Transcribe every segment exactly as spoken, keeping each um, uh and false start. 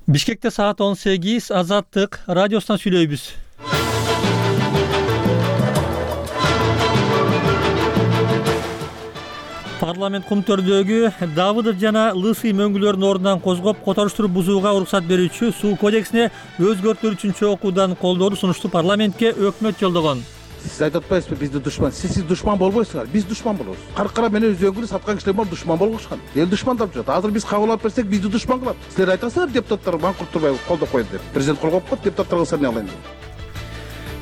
Бишкекте саат он сегиз Азаттык радиосунан сүйлөйбүз. Парламент кумтөрдөгү Давыдов жана Лысый мөңгүлөрүнүн ордунан козгоп, которуштуруп бузууга уруксат берүүчү суу кодексине өзгөртүүлөр үчүнчү окуудан колдоодо сунушту парламентке өкмөт жолдогон. Siz aytып атпайсызбы бизди душман? Siz siz душман болбойсуңар, биз душман болобуз. Каркара менен өзөңгүлү саткан кишилер бар душман болгушкан. Эл душмандап жүрөт. Азыр биз кабыл алып берсек бизди душман кылат. Силер айтасыздар депутаттар манкурт турбай колдоп койду деп. Президент кол коюп коет, депутаттар кылса эмне кылайын деп.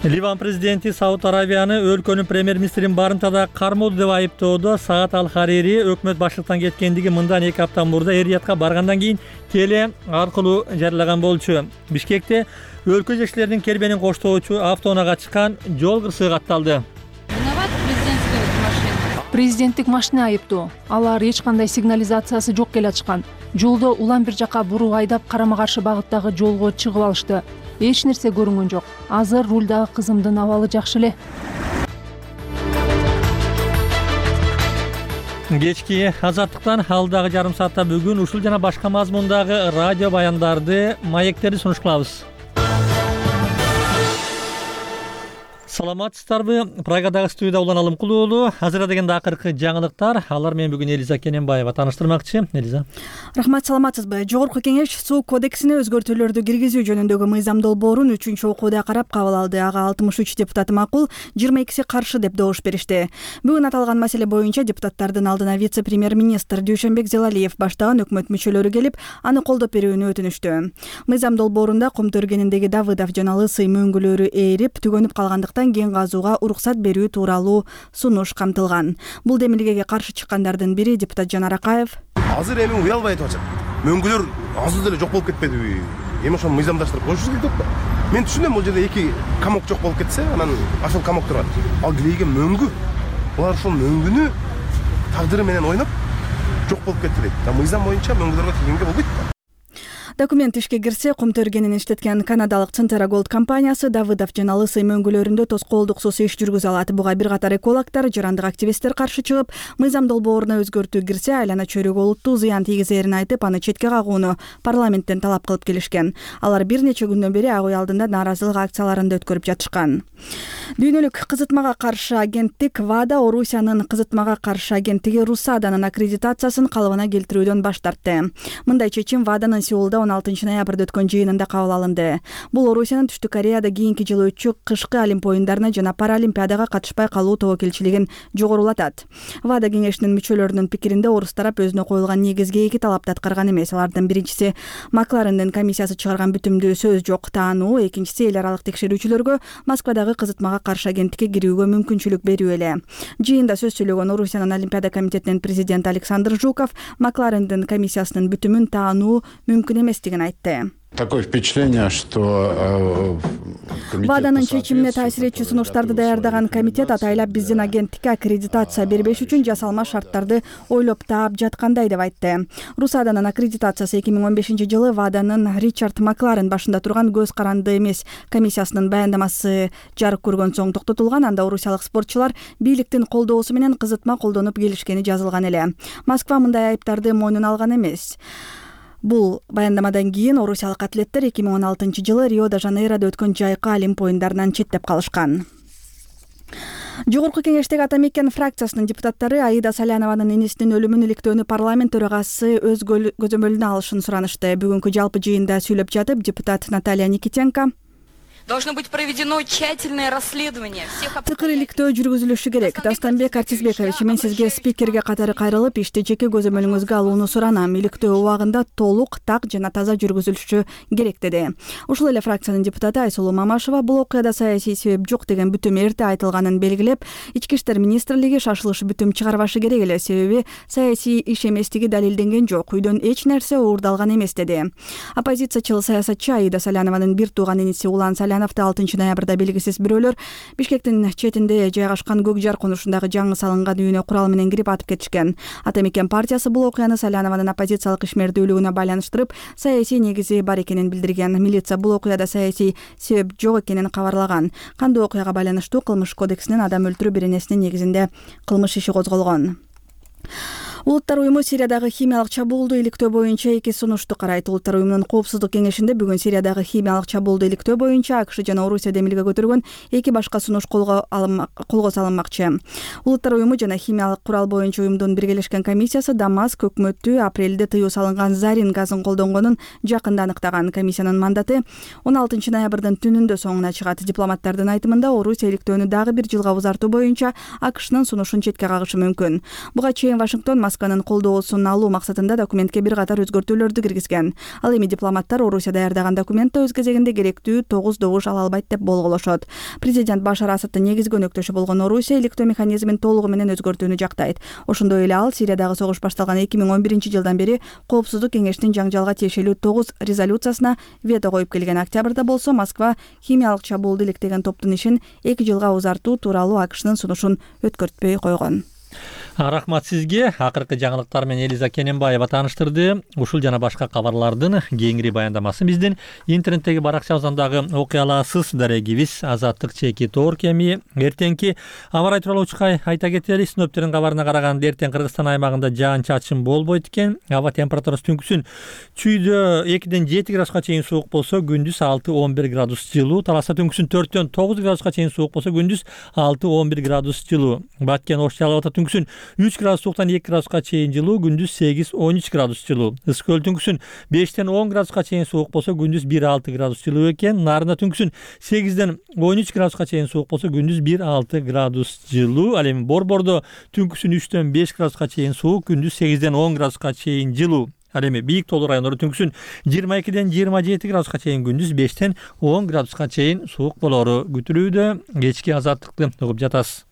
Ливан президенти Сауд Аравияны өлкөнүн премьер-министрин барымтада кармоодо деп айыптоодо. Саат Ал-Харири өкмөт баштыктан кеткендиги мындан эки апта мурда Эр-Риядка баргандан кийин теле аркылуу жарыяган болчу. Бишкекте өлкө жетекчилеринин кербенин коштоочу автоунаага чыккан жол кырсыгы катталды. Президенттик машина айыптоо. Алар эч кандай сигнализациясы жок келатышкан. Жолдо улам бир жака буруп айдап карама каршы багыттагы жолго чыгып алышты. Эч нерсе көрүнгөн жок. Азыр рулдагы кызымдын абалы жакшы эле. Кечки Азаттыктан алдагы жарым саатта бүгүн ушул жана башка мазмундагы радио баяндарды, маектерди сунуш кылабыз. Саламатсыздарбы? Прагадагы студияда Улан Алымкулуу уулу. Азыр дегенде акыркы жаңылыктар. Алар менен бүгүн Элиза Кененбаева тааныштырмакчы. Элиза. Рахмат, саламатсызбы? Жогорку кеңеш суу кодексине өзгөртүүлөрдү киргизүү жөнүндөгү мыйзам долбоорун үчүнчү окууда карап кабыл алды. Ага алтымыш үч депутат макул, жыйырма экиси каршы деп добуш беришти. Бүгүн аталган маселе боюнча депутаттардын алдына вице-премьер-министр Дүйшөнбек Зелалиев баштаган өкмөт мүчөлөрү келип, аны колдоп берүүнү өтүнүштү. Мыйзам долбоорунда кум төргениндеги Давыдов жана Лысый мөңгүлөрү ээрип, түгөнүп калгандыктан кен казууга уруксат берүү тууралуу сунуш камтылган. Бул демилгеге каршы чыккандардын бири депутат Жанар Акаев. Азыр эми уялбай атып атат. Мөңгүлөр азыр деле жок болуп кетпедиби? Эми ошону мыйзамдаштырып коюшубуз керек деп. Мен түшүнөм, бул жерде эки камок жок болуп кетсе, анан ашыл камок турат. Ал килейге мөңгү. Булар ошол мөңгүнү тагдыры менен ойноп жок болуп кетти дейт. Мыйзам боюнча мөңгүлөргө тийгенге болбойт. Документ ишке кирсе, кум төргенин иштеткен канадалык Центера Голд компаниясы Давыдов жана Лысый мөңгүлөрүндө тоскоолдуксуз иш жүргүзө алат. Буга бир катар экологдор, жарандык активисттер каршы чыгып, мыйзам долбооруна өзгөртүү кирсе, айлана чөйрөгө олуттуу зыян тийгизерин айтып, аны четке кагууну парламенттен талап кылып келишкен. Алар бир нече күндөн бери ак үй алдында нааразылык акцияларын да өткөрүп жатышкан. Дүйнөлүк кызытмага каршы агенттик ВАДА Орусиянын кызытмага каршы агенттиги Русаданын аккредитациясын калыбына келтирүүдөн баш тартты. Мындай чечим ВАДАнын Сеулда он алтынчы ноябрда өткөн жыйынында кабыл алынды. Бул Орусиянын Түштүк Кореяда кийинки жылы өтчү кышкы Олимп оюндарына жана Паралимпиадага катышпай калуу тобокелчилигин жогорулатат. ВАДА кеңешинин мүчөлөрүнүн пикиринде орус тарап өзүнө коюлган негизги эки талапты аткарган эмес. Алардын биринчиси Макларендин комиссиясы чыгарган бүтүмдүү сөз жок таануу, экинчиси эл аралык текшерүүчүлөргө Москвадагы кызытмага каршы агенттикке кирүүгө мүмкүнчүлүк берүү эле. Жыйында сөз сүйлөгөн Орусиянын Олимпиада комитетинин президенти Александр Жуков Макларендин комиссиясынын бүтүмүн таануу мүмкүн эместигин айтты. Такое впечатление, что ВАДАнын чечимине таасир этчү сунуштарды даярдаган комитет атайлап биздин агенттикке аккредитация бербеш үчүн жасалма шарттарды ойлоп таап жаткандай деп айтты. Русаданын аккредитациясы эки миң он бешинчи жылы ВАДАнын Ричард Макларен башында турган көз каранды эмес комиссиясынын баяндамасы жарык көргөн соң токтотулган. Анда орусиялык спортчулар бийликтин колдоосу менен кызытма колдонуп келишкени жазылган эле. Москва мындай айыптарды мойнуна алган эмес. Бул баяндамадан кийин орусиялык атлеттер эки миң он алтынчы жылы Рио-де-Жанейрода өткөн жайкы Олимп оюндарынан четтеп калышкан. Жогорку кеңештеги Ата Мекен фракциясынын депутаттары Аида Салянованын энесинин өлүмүн иликтөөнү парламент төрагасы өз көзөмөлүнө алышын суранышты. Бүгүнкү жалпы жыйында сүйлөп жатып, депутат Наталья Никитенко Должно быть проведено тщательное расследование всех тыкыр иликтөө жүргүзүлүшү керек. Дастанбек Артисбекович, мен сизге спикерге катары кайрылып, ишти жеке көзөмөлүңүзгө алууну суранам. Иликтөө убагында толук, так жана таза жүргүзүлүшү керек деди. Ушул эле фракциянын депутаты Айсулуу Мамашева бул окуяда саясий себеп жок деген бүтүм эрте айтылганын белгилеп, Ички иштер министрлиги шашылыш бүтүм чыгарбашы керек эле, себеби саясий иш эместиги далилденген жок. Үйдөн эч нерсе уурдалган эмес деди. Оппозициячыл саясатчы Аида Салянованын бир тууган иниси Улан алтынчы ноябрда белгисиз бирөөлөр Бишкектин четинде жайгашкан Көк Жар конушундагы жаңы салынган үйүнө курал менен кирип атып кетишкен. Ата Мекен партиясы бул окуяны Салянованын оппозициялык ишмердүүлүгүнө байланыштырып, саясий негизи бар экенин билдирген. Милиция бул окуяда саясий себеп жок экенин кабарлаган. Кандуу окуяга байланыштуу Кылмыш кодексинин адам өлтүрүү беренесинин негизинде кылмыш иши козголгон. Улуттар уюму Сириядагы химиялык чабуулду иликтөө боюнча эки сунушту карайт. Улуттар уюмунун коопсуздук кеңешинде бүгүн Сириядагы химиялык чабуулду иликтөө боюнча АКШ жана Орусия демилге көтөргөн эки башка сунуш колго колго салынмакчы. Улуттар уюму жана химиялык курал боюнча уюмдун биргелешкен комиссиясы Дамаск өкмөттү апрелде тыюу салынган зарин газын колдонгонун жакында аныктаган. Комиссиянын мандаты он алтынчы ноябрдын түнүндө соңуна чыгат. Дипломаттардын айтымында Орусия иликтөөнү дагы бир жылга узартуу боюнча АКШнын сунушун четке кагышы мүмкүн. Буга чейин Вашингтон Москванын колдоосун алуу максатында документке бир катар өзгөртүүлөрдү киргизген. Ал эми дипломаттар Орусия даярдаган документте өз кезегинде керектүү тогуз добуш ала албайт деп болголошот. Президент Башар Асадтын негизги өнөктөшү болгон Орусия иликтөө механизмин толугу менен өзгөртүүнү жактайт. Ошондой эле ал Сириядагы согуш башталган эки миң он биринчи жылдан бери коопсуздук кеңештин жаңжалга тиешелүү тогуз резолюциясына вето коюп келген. Октябрда болсо Москва химиялык чабуулду иликтеген топтун ишин эки жылга узартуу тууралуу АКШнын сунушун өткөртпөй койгон. Рахмат сизге. Акыркы жаңылыктар менен Элиза Кененбаева тааныштырды. Ушул жана башка кабарлардын кеңири баяндамасын биздин интернеттеги баракчабыздан дагы окуй аласыз. Дарегибиз Азаттык чеки Торк. Эми эртеңки аба ырайы тууралуу учкай айта кетели. Синоптиктердин кабарына караганда эртең Кыргызстан аймагында жаан-чачын болбойт экен. Аба температурасы түнкүсүн чүйдө экиден жети градуска чейин суук болсо, күндүз алты он бир градус жылуу. Таласта түнкүсүн төрттөн тогуз градуска чейин суук болсо, күндүз алты он бир градус жылуу. Баткен Ош Жалал түнкүсүн үч градус сууктан эки градуска чейин жылуу, күндүз сегиз он үч градус жылуу. Ысык көл түнкүсүн бештен он градуска чейин суук болсо, күндүз бир алты градус жылуу экен. Нарында түнкүсүн сегизден он үч градуска чейин суук болсо, күндүз бир алты градус жылуу. Ал эми Борбордо түнкүсүн үчтөн беш градуска чейин суук, күндүз сегизден он градуска чейин жылуу. Ал эми бийик тоолуу райондордо түнкүсүн жыйырма экиден жыйырма жети градуска чейин, күндүз бештен он градуска чейин суук болору күтүлүүдө. Кечки азаттыкты угуп жатасыз.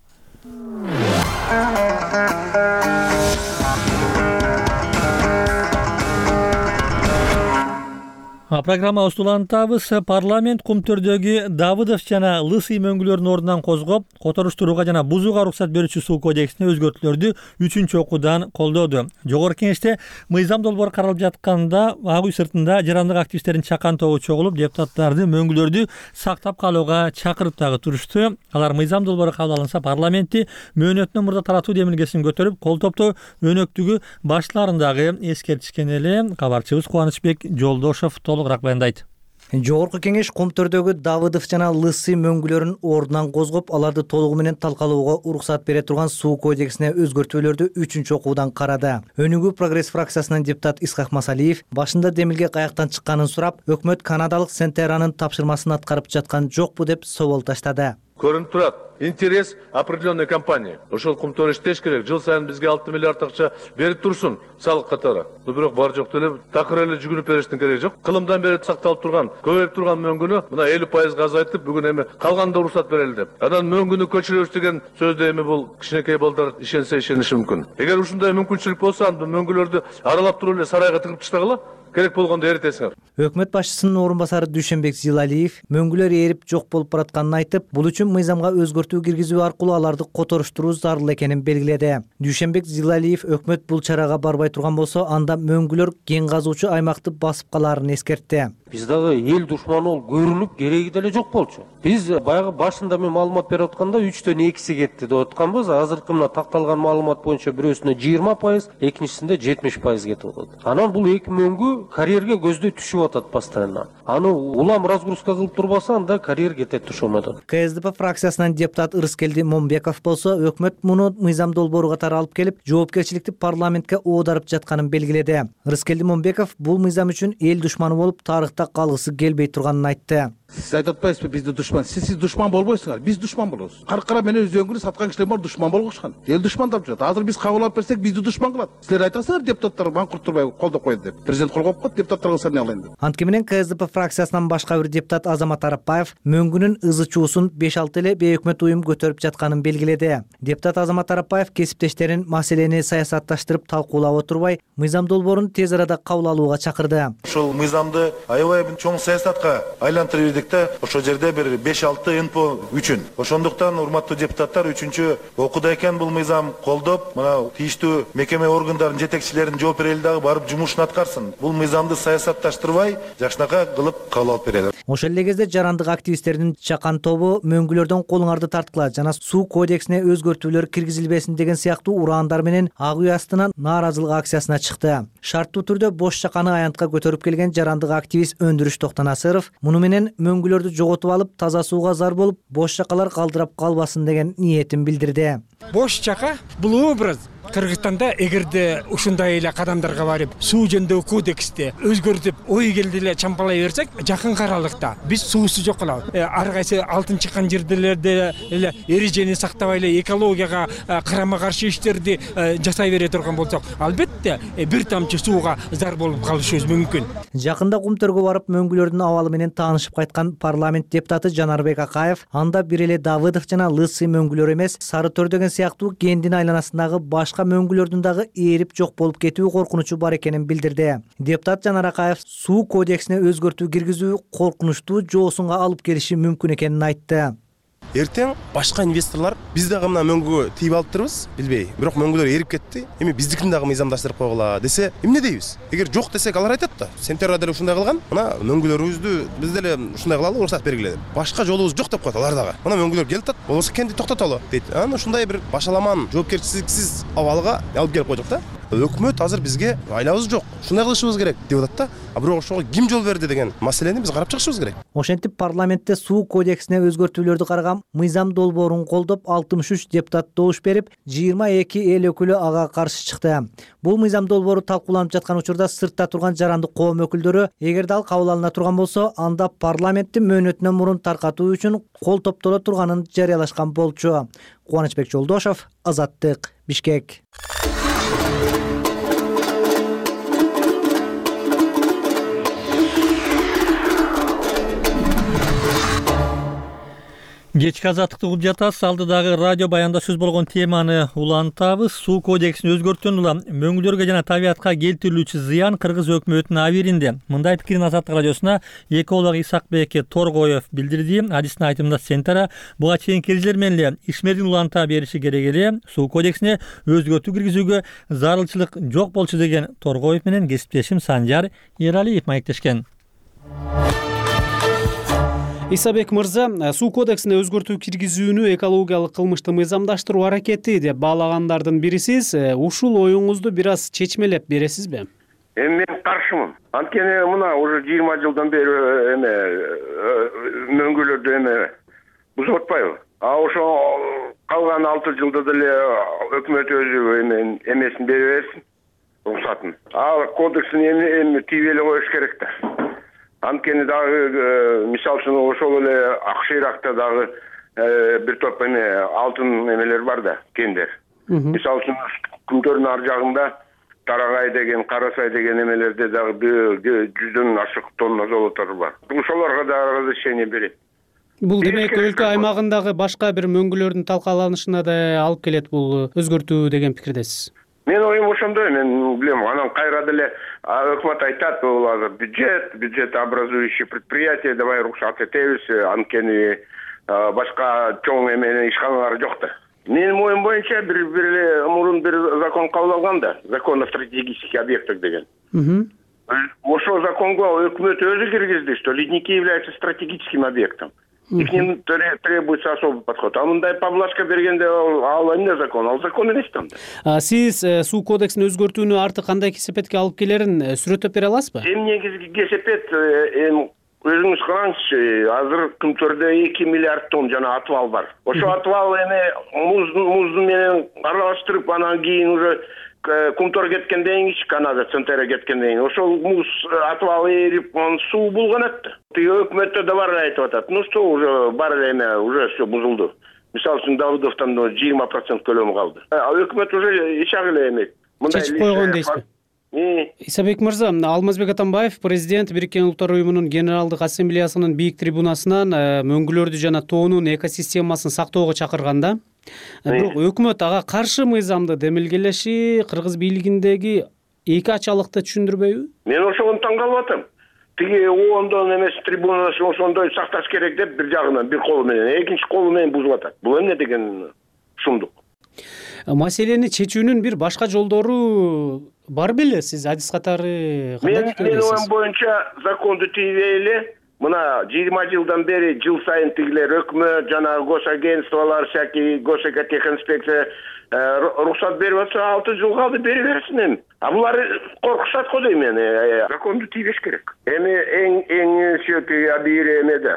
Программабызды улантабыз. Парламент Кумтөрдөгү Давыдов жана Лысый мөңгүлөрүнүн ордунан козгоп, которуштурууга жана бузууга уруксат берүүчү суу кодексине өзгөртүүлөрдү үчүнчү окуудан колдоду. Жогорку Кеңеште мыйзам долбоор каралып жатканда Ак үй сыртында жарандык активисттердин чакан тобу чогулуп, депутаттарды мөңгүлөрдү сактап калууга чакырып дагы турушту. Алар мыйзам долбоору кабыл алынса парламентти мөөнөтүнөн мурда таратуу демилгесин көтөрүп, кол топтоо өнөктүгү баштыларын дагы эскертишкен эле. Кабарчыбыз Кубанычбек Жолдошов толугураак баяндайт. Жогорку Кеңеш Кумтөрдөгү Давыдов жана Лысый мөңгүлөрүн ордунан козгоп, аларды толугу менен талкалоого уруксат бере турган суу кодексине өзгөртүүлөрдү үчүнчү окуудан карады. Өнүгүү Прогресс фракциясынын депутат Исхак Масалиев башында демилге каяктан чыкканын сурап, өкмөт Канадалык Сентеранын тапшырмасын аткарып жаткан жокпу деп собол таштады. Көрүнүп турат интерес определенной компании. Ошол Кумтөр иштеш керек. Жыл сайын бизге алты миллиард акча берип турсун салык катары. Бирок бар жок деле такыр эле жүгүнүп бериштин кереги жок. Кылымдан бери сакталып турган, көбөйүп турган мөңгүнү мына элүү пайызга азайтып, бүгүн эми калганда уруксат берели деп. Анан мөңгүнү көчүрөбүз деген сөздө эми бул кичинекей балдар ишенсе ишениши мүмкүн. Эгер ушундай мүмкүнчүлүк болсо, анда мөңгүлөрдү аралап туруп эле сарайга тыгып таштагыла. Керек болгондо эритесиңер. Өкмөт башчысынын орун басары Дүйшөнбек Зилалиев мөңгүлөр эрип жок болуп баратканын айтып, бул үчүн мыйзамга өзгөртүү киргизүү аркылуу аларды которуштуруу зарыл экенин белгиледи. Дүйшөнбек Зилалиев өкмөт бул чарага барбай турган болсо, анда мөңгүлөр кен казуучу аймакты басып калаарын эскертти. Биз дагы эл душманы болуп көрүнүп кереги деле жок болчу. Биз баягы башында мен маалымат берип атканда үчтөн экиси кетти деп атканбыз. Азыркы мына такталган маалымат боюнча бирөөсүнө жыйырма пайыз, экинчисинде жетимиш пайыз кетип атат. Анан бул эки мөңгү карьерге көздөй түшүп атат постоянно. Аны улам разгрузка кылып турбаса, анда карьер кетет түшүп атат. КСДП фракциясынын депутат Ырыскелди Момбеков болсо, өкмөт муну мыйзам долбоору катары алып келип, жоопкерчиликти парламентке оодарып жатканын белгиледи. Ырыскелди Момбеков бул мыйзам үчүн эл душманы болуп тарыхта калгысы келбей турганын айтты. Siz айтып атпайсызбы бизди душман? Siz siz душман болбойсуңар. Биз душман болобуз. Каркара менен өзөңгүрү саткан кишилер бар душман болгушкан. Эл душмандап жатат. Азыр биз кабыл алып берсек, бизди душман кылат. Силер айтасыздар, депутаттар манкурт турбай колдоп койду деп. Президент кол коюп коет, депутаттарга саны алайын деп. Антке менен КСДП фракциясынан башка бир депутат Азамат Арапбаев мөңгүнүн ызы чуусун беш алты эле бейөкмөт уюм көтөрүп жатканын белгиледи. Депутат Азамат Арапбаев кесиптештерин маселени саясатташтырып талкуулап отурбай, мыйзам долбоорун тез арада кабыл алууга чакырды. Ошол мыйзамды аябай чоң саясатка айлантырып ирдик да, ошол жерде бир беш алты эн пэ о үчүн. Ошондуктан урматтуу депутаттар үчүнчү окууда экен бул мыйзам колдоп, мына тийиштүү мекеме органдарын жетекчилерин жооп берели дагы барып жумушун аткарсын. Бул мыйзамды саясатташтырбай, жакшынака кылып кабыл алып берели. Ошол эле кезде жарандык активисттердин чакан тобу мөңгүлөрдөн колуңарды тарткыла жана суу кодексине өзгөртүүлөр киргизилбесин деген сыяктуу ураандар менен ак үй астынан нааразылык акциясына чыкты. Шарттуу түрдө бош чаканы аянтка көтөрүп келген жарандык активист Өндүрүш Токтонасыров муну менен мөңгүлөрдү жоготуп алып таза сууга зар болуп бош чакалар калдырап калбасын деген ниетин билдирди. Бош чака бул образ Кыргызстанда эгерде ушундай эле кадамдарга барып суу жөнүндөгү кодексти өзгөртүп ой келди эле чампалай берсек, жакынкы аралыкта биз суусу жок кылабыз. Ар кайсы алтын чыккан жерлерде эле эрежени сактабай эле экологияга карама каршы иштерди жасай бере турган болсок, албетте бир тамчы сууга зар болуп калышыбыз мүмкүн. Жакында Кумтөргө барып мөңгүлөрдүн абалы менен таанышып кайткан парламент депутаты Жанарбек Акаев анда бир эле Давыдов жана Лысый мөңгүлөр эмес, Сары Төр деген сыяктуу кендин айланасындагы башка мөңгүлөрдүн дагы ээрип жок болуп кетүү коркунучу бар экенин билдирди. Депутат Жанар Акаев суу кодексине өзгөртүү киргизүү коркунучтуу жоосунга алып келиши мүмкүн экенин айтты. Эртең башка инвесторлор биз дагы мына мөңгү тийип алыптырбыз, билбей. Бирок мөңгүлөр эрип кетти. Эми биздикин дагы мыйзамдаштырып койгула десе, эмне дейбиз? Эгер жок десек, алар айтат да. Сентябрда деле ушундай кылган. Мына мөңгүлөрүбүздү биз деле ушундай кылалы, уруксат бергиле деп. Башка жолубуз жок деп коет алар дагы. Мына мөңгүлөр келип атат. Болбосо кенди токтотолу дейт. Аны ушундай бир башаламан, жоопкерчиликсиз абалга алып келип койдук да. Өкмөт азыр бизге айлабыз жок, ушундай кылышыбыз керек деп атат да. А бирок ошого ким жол берди деген маселени биз карап чыгышыбыз керек. Ошентип парламентте суу кодексине өзгөртүүлөрдү караган мыйзам долбоорун колдоп алтымыш үч депутат добуш берип, жыйырма эки эл өкүлү ага каршы чыкты. Бул мыйзам долбоору талкууланып жаткан учурда сыртта турган жарандык коом өкүлдөрү эгерде ал кабыл алына турган болсо, анда парламентти мөөнөтүнөн мурун таркатуу үчүн кол топтоло турганын жарыялашкан болчу. Кубанычбек Жолдошов, Азаттык, Бишкек. Кечки азаттыкты угуп жатасыз. Алдыдагы радио баянда сөз болгон теманы улантабыз. Суу кодексин өзгөрткөн улам мөңгүлөргө жана табиатка келтирилүүчү зыян Кыргыз өкмөтүнүн абийиринде. Мындай пикирин Азаттык радиосуна эколог Исакбек Торгоев билдирди. Адистин айтымында Сентара буга чейин келжилер менен эле ишмердин уланта бериши керек эле. Суу кодексине өзгөртүү киргизүүгө зарылчылык жок болчу деген Торгоев менен кесиптешим Санжар Эралиев маектешкен. Исабек мырза, суу кодексине өзгөртүү киргизүүнү экологиялык кылмышты мыйзамдаштыруу аракети деп баалагандардын бирисиз. Ушул оюңузду бир аз чечмелеп бересизби? Эми мен каршымын. Анткени мына уже жыйырма жылдан бери эме мөңгүлөрдү эме бузуп атпайбы? А ошо калган алты жылда деле өкмөт өзү эме эмесин бере берсин, уруксатын. А кодекстин эми тийип эле коюш керек да. Анткени дагы мисалы үчүн ошол эле Акшыйракта дагы бир топ эме алтын эмелер бар да, кендер. Мисалы үчүн Күмтөрдүн ар жагында Тарагай деген, Карасай деген эмелерде дагы жүздөн ашык тонна золотор бар. Ошолорго дагы разрешение берет. Бул демек өлкө аймагындагы башка бир мөңгүлөрдүн талкаланышына да алып келет бул өзгөртүү деген пикирдесиз. Мен оюм ошондой, мен билем, анан кайра деле өкмөт айтат, бул азыр бюджет, бюджетообразующий предприятие, давай уруксат этебиз, анткени башка чоң эменин ишканалары жок да. Менин оюм боюнча бир бир эле мурун бир закон кабыл алган да, закон о стратегических объектах деген. Ошол законго өкмөт өзү киргизди, что ледники являются стратегическим объектом. И к ним требуется особый подход. А мындай поблажка бергенде ал эмне закон? Ал закон эмес там да. Сиз суу кодексин өзгөртүүнү арты кандай кесепетке алып келерин сүрөттөп бере аласызбы? Эми негизги кесепет эми өзүңүз караңызчы, азыр Күмтөрдө эки миллиард тонн жана атыбал бар. Ошо атыбал эми муздун менен аралаштырып, анан кийин уже Кумтөр кеткенден кийин, Канада, Центера кеткенден кийин ошол муз атыбал эрип, суу булганат да. Тиги өкмөттө да бар айтып атат. Ну что, уже бар эле эме, уже все бузулду. Мисалы үчүн Давыдовдон жыйырма процент көлөмү калды. А өкмөт уже ичак эле эмет. Чечип койгон дейсизби? Исабек мырза, Алмазбек Атамбаев, президент Бириккен Улуттар уюмунун Генералдык ассамблеясынын бийик трибунасынан мөңгүлөрдү жана тоонун экосистемасын сактоого чакырганда, бирок өкмөт ага каршы мыйзамды демилгелеши Кыргыз бийлигиндеги эки ачалыкты түшүндүрбөйбү? Мен ошону таң калып атам. Тиги ондон эмес трибунасын ошондой сакташ керек деп бир жагынан бир колу менен, экинчи колу менен бузуп атат. Бул эмне деген шумдук? Маселени чечүүнүн бир башка жолдору бар беле? Сиз адис катары кандай пикирдесиз? Мен оюм боюнча законду тийбей эле мына жыйырма жылдан бери жыл сайын тигилер өкмөт жана госагентстволор всякий госэкотехинспекция уруксат берип атса алты жыл калды бери берсин эми. А булар коркушат го дейм мен. Законду тийбеш керек. Эми эң эң сөтү бир эмеде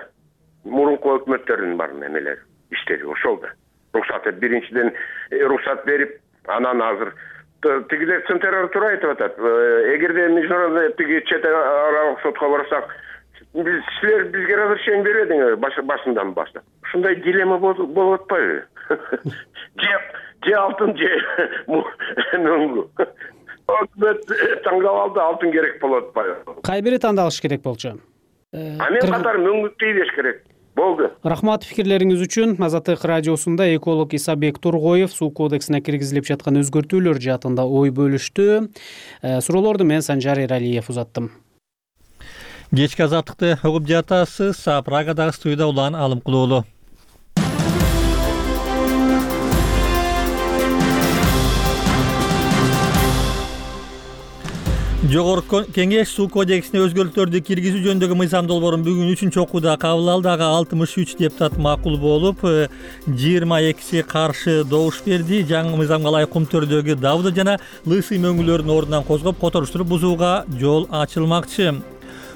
мурунку өкмөттөрдүн бар эмелери, иштери ошол да. Уруксат биринчиден уруксат берип, анан азыр тигилер централар туура айтып атат. Эгерде международный тиги чет аралык сотко барсак, биз силер бизге разрешение бербедиңер башынан баштап. Ушундай дилемма болуп атпайбы? Же алтын же мөңгү. Өкмөт таңдап алды, алтын керек болуп атпайбы? Кай бири тандалыш керек болчу? А мен катар мөңгү тийбеш керек. Болду. Рахмат пикирлериңиз үчүн. Азаттык радиосунда эколог Исабек Тургоев суу кодексине киргизилип жаткан өзгөртүүлөр жаатында ой бөлүштү. Суроолорду мен Санжар Эралиев узаттым. Кечки азаттыкты угуп жатасыз. Прагадагы студияда Улан Алымкулуулу. Жогорку кеңеш суу кодексине өзгөртүүлөрдү киргизүү жөнүндөгү мыйзам долбоорун бүгүн үчүнчү окууда кабыл алды. Ага алтымыш үч депутат макул болуп, жыйырма экиси каршы добуш берди. Жаңы мыйзамга ылайык Кумтөрдөгү Давыдов жана Лысый мөңгүлөрүн ордунан козгоп, которуштуруп бузууга жол ачылмакчы.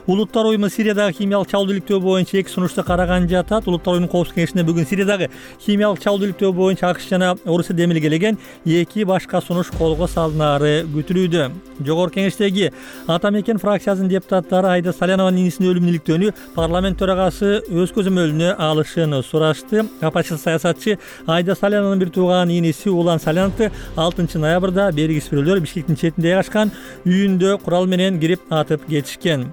Улуттар уюму Сириядагы химиялык чалуу иликтөө боюнча эки сунушту караган жатат. Улуттар уюмунун коопсуздук кеңешинде бүгүн Сириядагы химиялык чалуу иликтөө боюнча АКШ жана Орусия демилгелеген эки башка сунуш колго салынары күтүлүүдө. Жогорку кеңештеги Ата Мекен фракциясынын депутаттары Айда Салянованын инисинин өлүмүнүн иликтөөнү парламент төрагасы өз көзөмөлүнө алышын сурашты. Апачы саясатчы Айда Салянованын бир тууган иниси Улан Саляновду алтынчы ноябрда бергисбирөөлөр Бишкектин четинде жайгашкан үйүндө курал менен кирип атып кетишкен.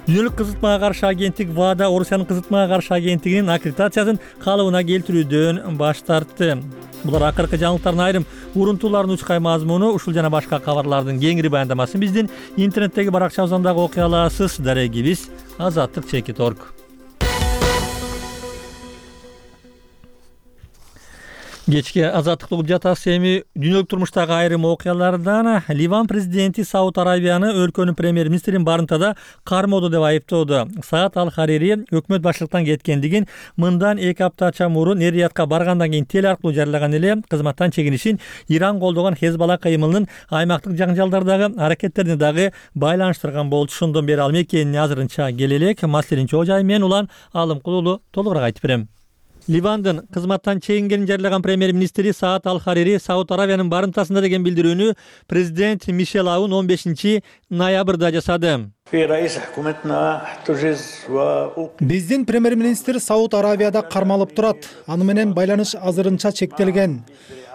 Дүйнөлүк кызытмага каршы агенттик ВАДА Орусиянын кызытмага каршы агенттигинин аккредитациясын калыбына келтирүүдөн баш тартты. Булар акыркы жаңылыктардын айрым урунтууларынын учкай мазмуну. Ушул жана башка кабарлардын кеңири баяндамасын биздин интернеттеги баракчабыздан дагы окуй аласыз. Дарегибиз Азаттык чекит точка орг. Кечки азаттыкты угуп жатасыз. Эми дүйнөлүк турмуштагы айрым окуялардан Ливан президенти Сауд Арабияны өлкөнүн премьер-министрин барымтада кармоодо деп айыптоодо. Саат Ал-Харири өкмөт башчылыктан кеткендигин мындан эки аптача мурун Эр-Риядка баргандан кийин теле аркылуу жарыялаган эле кызматтан чегинишин Иран колдогон Хезбалла кыймылынын аймактык жаңжалдардагы аракеттерине дагы байланыштырган болчу. Ошондон бери ал мекенин азырынча келелек. Маселенин чоо жайы мен Улан Алымкулуулу толугураак айтып берем. Ливандын кызматтан чегингенин жарыялаган премьер-министри Саат Ал-Харири Сауд Аравиянын барымтасында деген билдирүүнү президент Мишел Аун он бешинчи ноябрда жасады. Биздин премьер-министр Сауд Аравияда кармалып турат. Аны менен байланыш азырынча чектелген.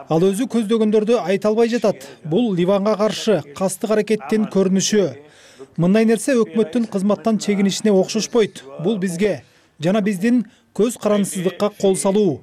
Ал өзү көздөгөндөрдү айта албай жатат. Бул Ливанга каршы кастык аракеттин көрүнүшү. Мындай нерсе өкмөттүн кызматтан чегинишине окшошпойт. Бул бизге жана биздин көз карансыздыкка кол салуу.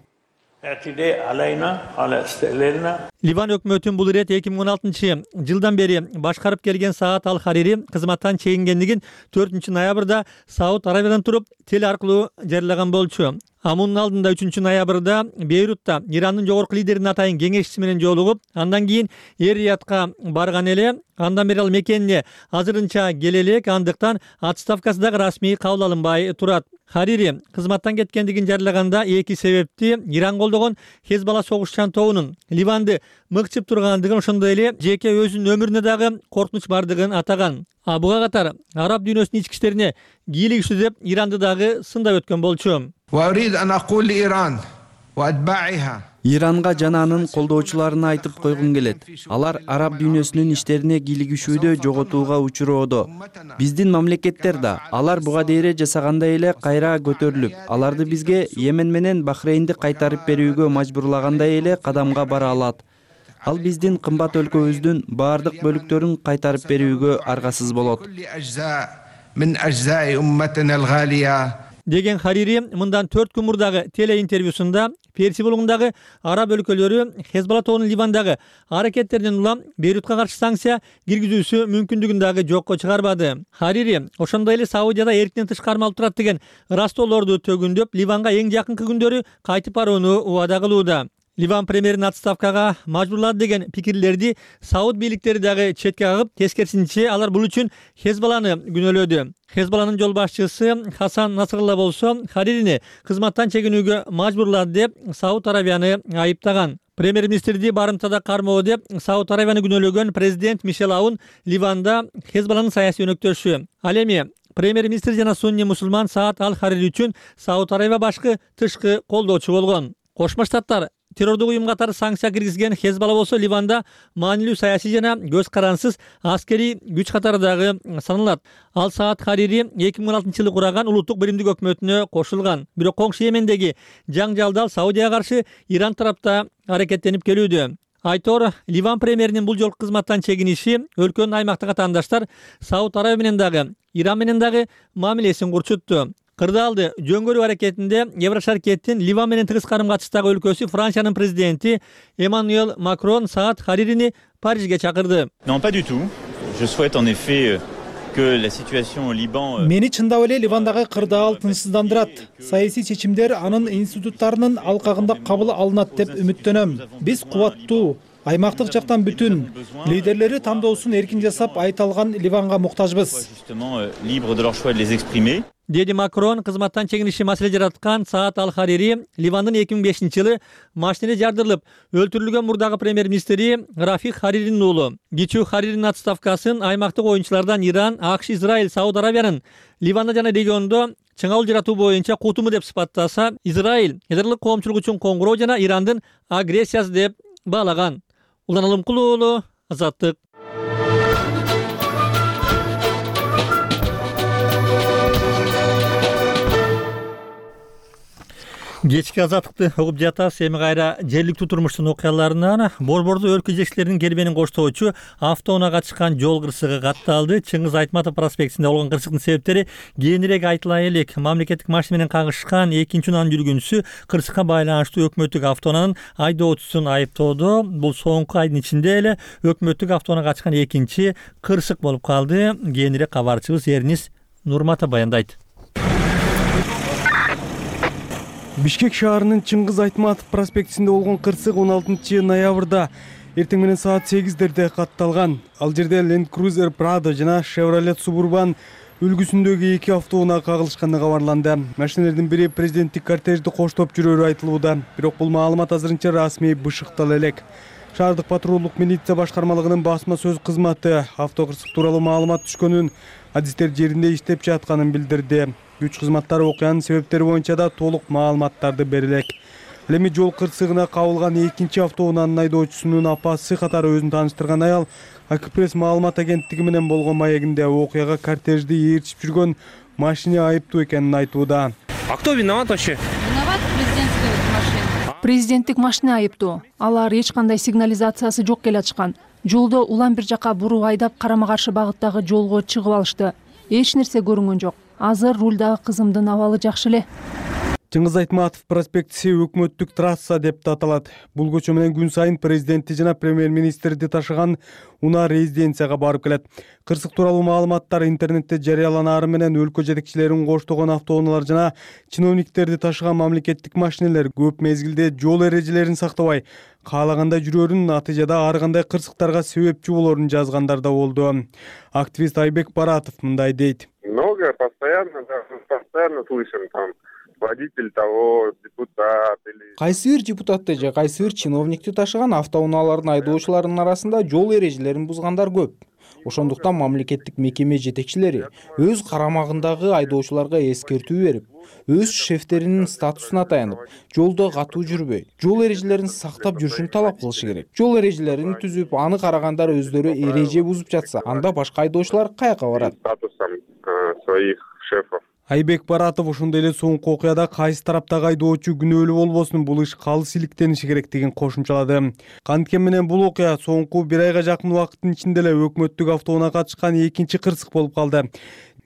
Ливан өкмөтүн бул ирет эки миң он алтынчы жылдан бери башкарып келген Саат Ал-Харири кызматтан чегингендигин төртүнчү ноябрда Сауд Аравиядан туруп теле аркылуу жарыялаган болчу. А мунун алдында үчүнчү ноябрда Бейрутта Ирандын жогорку лидеринин атайын кеңешчиси менен жолугуп, андан кийин Эр-Риядка барган эле. Андан бери ал мекенине азырынча келе элек, андыктан отставкасы дагы расмий кабыл алынбай турат. Харири кызматтан кеткендигин жарыялаганда эки себепти Иран колдогон Хезбалла согушчан тобунун Ливанды мыкчып тургандыгын, ошондой эле жеке өзүнүн өмүрүнө дагы коркунуч бардыгын атаган. А буга катар араб дүйнөсүнүн ички иштерине кийлигиштүү деп Иранды дагы сындап өткөн болчу. Иранга жана анын колдоочуларына айтып койгум келет. Алар араб дүйнөсүнүн иштерине кийлигишүүдө жоготууга учуроодо. Биздин мамлекеттер да алар буга дейре жасагандай эле кайра көтөрүлүп, аларды бизге Йемен менен Бахрейнди кайтарып берүүгө мажбурлагандай эле кадамга бара алат. Ал биздин кымбат өлкөбүздүн баардык бөлүктөрүн кайтарып берүүгө аргасыз болот. Деген Харири мындан төрт күн мурдагы теле интервьюсунда Перси булугундагы араб өлкөлөрү Хезбалла тобунун Ливандагы аракеттеринен улам Бейрутка каршы санкция киргизүүсү мүмкүндүгүн дагы жокко чыгарбады. Харири ошондой эле Саудияда эрктен тыш кармалып турат деген ырастоолорду төгүндөп, Ливанга эң жакынкы күндөрү кайтып барууну убада кылууда. Ливан премьерин отставкага мажбурлады деген пикирлерди Сауд бийликтери дагы четке кагып, тескерисинче алар бул үчүн Хезболланы күнөөлөдү. Хезболланын жол башчысы Хасан Насралла болсо Харирини кызматтан чегинүүгө мажбурлады деп Сауд Аравияны айыптаган. Премьер-министрди барымтада кармоо деп Сауд Аравияны күнөөлөгөн президент Мишел Аун Ливанда Хезболланын саясий өнөктөшү. Ал эми премьер-министр жана сунни мусулман Саад Ал-Харири үчүн Сауд Аравия башкы тышкы колдоочу болгон. Кошмо Штаттар террордук уюм катары санкция киргизген Хезболла болсо Ливанда маанилүү саясий жана көз карансыз аскерий күч катары дагы саналат. Ал Саад Харири эки миң он алтынчы жылы кураган улуттук биримдик өкмөтүнө кошулган. Бирок коңшу Йемендеги жаңжалдал Саудияга каршы Иран тарапта аракеттенип келүүдө. Айтор, Ливан премьеринин бул жолку кызматтан чегиниши өлкөнүн аймактык атаандаштар Сауд Аравия менен дагы, Иран менен дагы мамилесин курчутту. Кырдаалды жөнгөрүү аракетинде Еврошаркеттин Ливан менен тыгыз карым-катыштагы өлкөсү Франциянын президенти Эммануэл Макрон Саад Харирини Парижге чакырды. Non, pas du tout. Je souhaite en effet que la situation au Liban Мени чындап эле Ливандагы кырдаал тынчсыздандырат. Саясий чечимдер анын институттарынын алкагында кабыл алынат деп үмүттөнөм. Биз кубаттуу, аймактык жактан бүтүн, лидерлери тандоосун эркин жасап айта алган Ливанга муктажбыз. libre de leur choix de les exprimer. Деди Макрон кызматтан чегиниши маселе жараткан Саад Ал-Харири Ливандын эки миң бешинчи жылы машинеде жардырылып өлтүрүлгөн мурдагы премьер-министри Рафих Хариринин уулу. Кичүү Хариринин отставкасын аймактык оюнчулардан Иран, АКШ, Израиль, Сауд Аравиянын Ливанда жана региондо чыңалуу жаратуу боюнча кутуму деп сыпаттаса, Израиль ядралык коомчулук үчүн коңгуроо жана Ирандын агрессиясы деп баалаган. Улан Алымкулуу уулу, Азаттык. Кечки Азаттыкты угуп жатасыз. Эми кайра жергиликтүү турмуштун окуяларынан Борбордо өлкө жетекчилеринин кербенин коштоочу автоунаага чыккан жол кырсыгы катталды. Чыңгыз Айтматов проспектисинде болгон кырсыктын себептери кийинирээк айтыла элек. Мамлекеттик машина менен кагышкан экинчи унаанын жүргүнчүсү кырсыкка байланыштуу өкмөттүк автоунаанын айдоочусун айыптоодо. Бул соңку айдын ичинде эле өкмөттүк автоунаага ачкан экинчи кырсык болуп калды. Кийинирээк кабарчыбыз Эрнис Нурмата баяндайт. Бишкек шаарынын Чыңгыз Айтматов проспектисинде болгон кырсык он алтынчы ноябрда эртең менен саат сегиздерде катталган. Ал жерде Land Cruiser Prado жана Chevrolet Suburban үлгүсүндөгү эки автоунаа кагылышканы кабарланды. Машиналардын бири президенттик кортежди коштоп жүрөрү айтылууда. Бирок бул маалымат азырынча расмий бышыктала элек. Шаардык патрулдук милиция башкармалыгынын басма сөз кызматы автокырсык тууралуу маалымат түшкөнүн, адистер жеринде иштеп жатканын билдирди. Күч кызматтары окуянын себептери боюнча да толук маалыматтарды бере элек. Ал эми жол кырсыгына кабылган экинчи автоунаанын айдоочусунун апасы катары өзүн тааныштырган аял Акпресс маалымат агенттиги менен болгон маегинде окуяга кортежди ээрчип жүргөн машина айыптуу экенин айтууда. А кто виноват вообще? Виноват президентская машина. Президенттик машина айыптуу. Алар эч кандай сигнализациясы жок келатышкан. Жолдо улам бир жака буруп айдап карама каршы багыттагы жолго чыгып алышты. Эч нерсе көрүнгөн жок. Азыр рулдагы кызымдын абалы жакшы эле. Чыңгыз Айтматов проспектиси өкмөттүк трасса деп да аталат. Бул көчө менен күн сайын президентти жана премьер-министрди ташыган унаа резиденцияга барып келет. Кырсык тууралуу маалыматтар интернетте жарыяланаары менен өлкө жетекчилерин коштогон автоунаалар жана чиновниктерди ташыган мамлекеттик машинелер көп мезгилде жол эрежелерин сактабай, каалагандай жүрөрүн, натыйжада ар кандай кырсыктарга себепчи болорун жазгандар да болду. Активист Айбек Баратов мындай дейт. Много, постоянно, да, постоянно слышим там водитель того, депутат или... Кайсы бир депутатты же кайсы бир чиновникти ташыган автоунаалардын айдоочуларынын арасында жол эрежелерин бузгандар көп. Ошондуктан мамлекеттик мекеме жетекчилери өз карамагындагы айдоочуларга эскертүү берип, өз шефтеринин статусуна таянып, жолдо катуу жүрбөй, жол эрежелерин сактап жүрүшүн талап кылышы керек. Жол эрежелерин түзүп, аны карагандар өздөрү эреже бузуп жатса, анда башка айдоочулар каяка барат? Статусом своих шефов. Айбек Баратов ошондой эле соңку окуяда кайсы тараптагы айдоочу күнөөлүү болбосун, бул иш калыс иликтениши керектигин кошумчалады. Канткени менен бул окуя соңку бир айга жакын убакыттын ичинде эле өкмөттүк автоунаага чыккан экинчи кырсык болуп калды.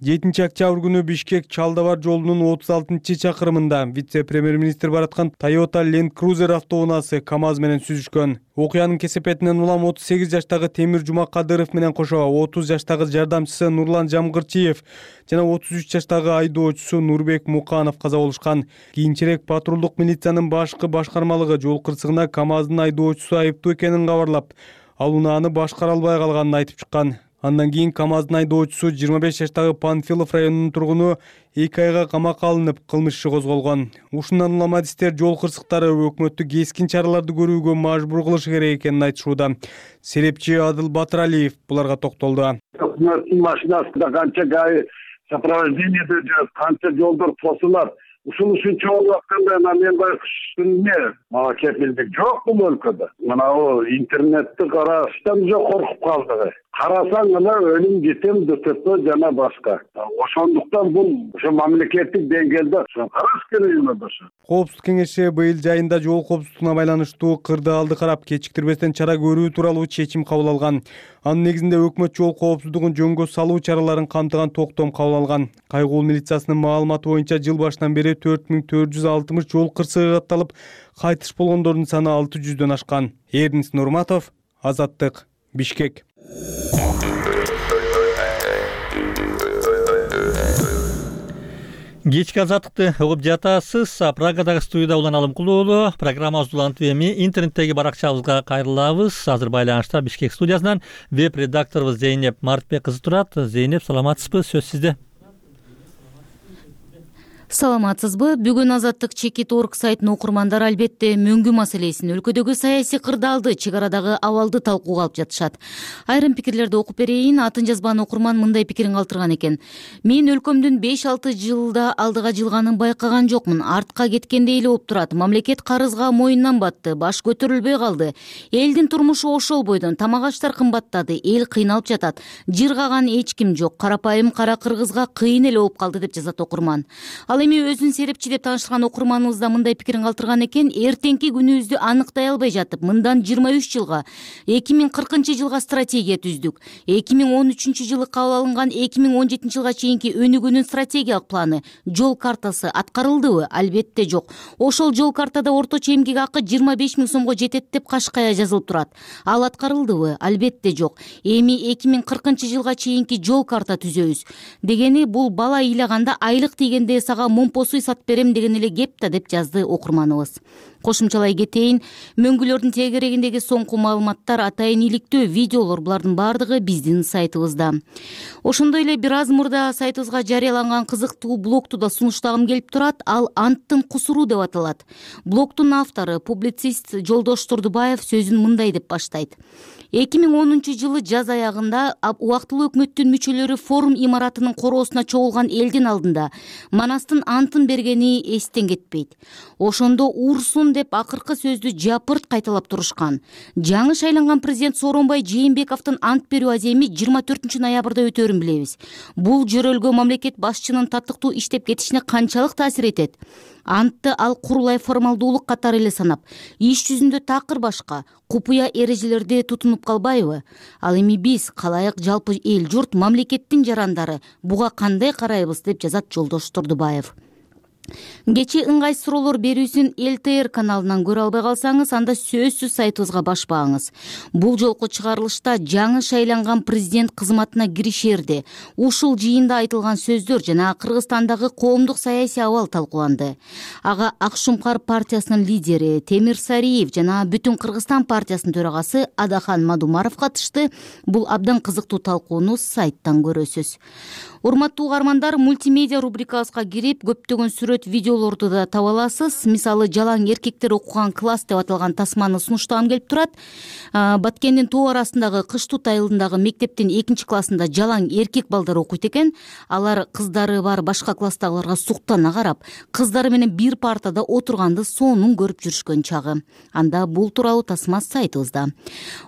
жетинчи октябрь күнү Бишкек Чалдабар жолунун отуз алтынчы чакырымында вице-премьер-министр бараткан Toyota Land Cruiser автоунаасы КамАЗ менен сүзүшкөн. Окуянын кесепетинен улам отуз сегиз жаштагы Темир Жумакадыров менен кошо отуз жаштагы жардамчысы Нурлан Жамгырчиев жана отуз үч жаштагы айдоочусу Нурбек Муканов каза болушкан. Кийинчерээк патрулдук милициянын башкы башкармалыгы жол кырсыгына КамАздын айдоочусу айыптуу экенин кабарлап, ал унааны башкара албай калганын айтып чыккан. Андан кийин КамАздын айдоочусу жыйырма беш жаштагы Панфилов районунун тургуну эки айга камакка алынып, кылмыш иши козголгон. Ушундан улам адистер жол кырсыктары өкмөттү кескин чараларды көрүүгө мажбур кылышы керек экенин айтышууда. Серепчи Адыл Батыралиев буларга токтолду. Өкмөттүн машинасында канча гай сопровождениеде жүрөт, канча жолдор тосулат. Ушул ушунча болуп атканда мен байкуштун эмне мага кепилдик жок бул өлкөдө. Мына интернетти караштан уже коркуп калдык. Карасаң эле өлүм жетем ДТП жана башка. Ошондуктан бул ошо мамлекеттик деңгээлде караш керек эмес. Коопсуздук кеңеши быйыл жайында жол коопсуздугуна байланыштуу кырды алды карап, кечиктирбестен чара көрүү тууралуу чечим кабыл алган. Анын негизинде өкмөт жол коопсуздугун жөнгө салуу чараларын камтыган токтом кабыл алган. Кайгуул милициясынын маалыматы боюнча жыл башынан бери төрт миң төрт жүз алтымыш жол кырсыгы катталып, кайтыш болгондордун саны алты жүздөн ашкан. Эрнис Нурматов, Азаттык, Бишкек. Кечки азаттыкты угуп жатасыз. Прагадагы студияда Улан Алымкулуу. Программабыз улантып эми интернеттеги баракчабызга кайрылабыз. Азыр байланышта Бишкек студиясынан веб-редакторубуз Зейнеп Мартбек кызы турат. Зейнеп, саламатсызбы? Сөз сизде. Саламатсызбы? Бүгүн Азаттык чекит точка орг сайтынын окурмандары албетте мөңгү маселесин, өлкөдөгү саясий кырдаалды, чек арадагы абалды талкууга алып жатышат. Айрым пикирлерди окуп берейин. Атын жазбан окурман мындай пикирин калтырган экен. Мен өлкөмдүн беш алты жылда алдыга жылганын байкаган жокмун. Артка кеткендей эле болуп турат. Мамлекет карызга моюндан батты, баш көтөрүлбөй калды. Элдин турмушу ошол бойдон, тамак аштар кымбаттады, эл кыйналып жатат. Жыргаган эч ким жок. Карапайым кара кыргызга кыйын эле болуп калды деп жазат окурман. Ал эми өзүн серепчи деп тааныштырган окурманыбыз да мындай пикирин калтырган экен. Эртеңки күнүбүздү аныктай албай жатып, мындан жыйырма үч жылга, эки миң кыркынчы жылга стратегия түздүк. эки миң он үчүнчү жылы кабыл алынган эки миң он жетинчи жылга чейинки өнүгүүнүн стратегиялык планы, жол картасы аткарылдыбы? Албетте жок. Ошол жол картада орточо эмгек акы жыйырма беш миң сомго жетет деп кашкая жазылып турат. Ал аткарылдыбы? Албетте жок. Эми эки миң кыркынчы жылга чейинки жол карта түзөбүз дегени бул бала ыйлаганда айлык тийгенде сага момпосуй сатып берем деген эле кеп да, деп жазды окурманыбыз. Кошумчалай кетейин, мөңгүлөрдүн тегерегиндеги соңку маалыматтар, атайын иликтөө видеолор, булардын баардыгы биздин сайтыбызда. Ошондой эле бир аз мурда сайтыбызга жарыяланган кызыктуу блогту да сунуштагым келип турат. Ал анттын кусуру деп аталат. Блогтун автору, публицист Жолдош Турдубаев сөзүн мындай деп баштайт. эки миң онунчу жылы жаз аягында убактылуу өкмөттүн мүчөлөрү форум имаратынын короосуна чогулган элдин алдында Манастын антын бергени эстен кетпейт. Ошондо урсун деп акыркы сөздү жапырт кайталап турушкан. Жаңы шайланган президент Сооронбай Жээнбековдун ант берүү аземи жыйырма төртүнчү ноябрда өтөөрүн билебиз. Бул жөрөлгө мамлекет башчынын таттыктуу иштеп кетишине канчалык таасир этет? Антты ал курулай формалдуулук катары эле санап, иш жүзүндө такыр башка, купуя эрежелерди тутунуп калбайбы? Ал эми биз, калайык жалпы эл журт, мамлекеттин жарандары буга кандай карайбыз, деп жазат Жолдош Турдубаев. Кечээ ыңгайсыз суроолор берүүсүн эл тэ эр каналынан көрө албай калсаңыз, анда сөзсүз сайтыбызга башпаңыз. Бул жолку чыгарылышта жаңы шайланган президент кызматына киришерде ушул жыйында айтылган сөздөр жана Кыргызстандагы коомдук саясий абал талкууланды. Ага Акшумкар партиясынын лидери Темир Сариев жана Бүтүн Кыргызстан партиясынын төрагасы Адахан Мадумаров катышты. Бул абдан кызыктуу талкууну сайттан көрөсүз. Урматтуу угармандар, мультимедиа рубрикабызга кирип, көптөгөн сүрөт, видеолорду да таба аласыз. Мисалы, жалаң эркектер окуган класс деп аталган тасманы сунуштагым келип турат. Баткендин тоо арасындагы Кыштут айылындагы мектептин экинчи классында жалаң эркек балдар окуйт экен. Алар кыздары бар башка класстагыларга суктана карап, кыздары менен бир партада отурганды сонун көрүп жүрүшкөн чагы. Анда бул тууралуу тасма сайтыбызда.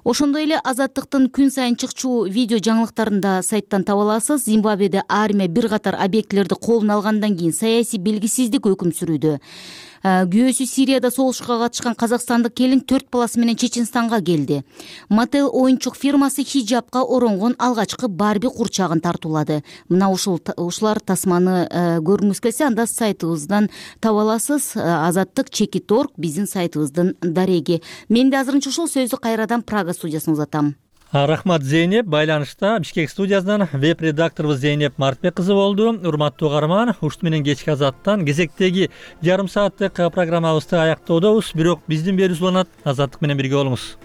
Ошондой эле Азаттыктын күн сайын чыкчу видео жаңылыктарын да сайттан таба аласыз. Зимбабведе армия бир катар объектилерди колуна алгандан кийин саясий белгисиз террорсиздик өкүм сүрүүдө. Күйөөсү Сирияда согушка катышкан казакстандык келин төрт баласы менен Чеченстанга келди. Mattel оюнчук фирмасы хиджабка оронгон алгачкы Барби курчагын тартуулады. Мына ушул ушулар тасманы көргүңүз келсе, анда сайтыбыздан таба аласыз. Азаттык чекит точка орг биздин сайтыбыздын дареги. Мен да азырынча ушул сөздү кайрадан Прага студиясына узатам. Рахмат Зейнеп. Байланышта Бишкек студиясынан веб-редакторубуз Зейнеп Мартбек кызы болду. Урматтуу угарман, ушут менен кечки Азаттан кезектеги жарым сааттык программабызды аяктоодобуз. Бирок биздин берүүбүз уланат. Азаттык менен бирге болуңуз.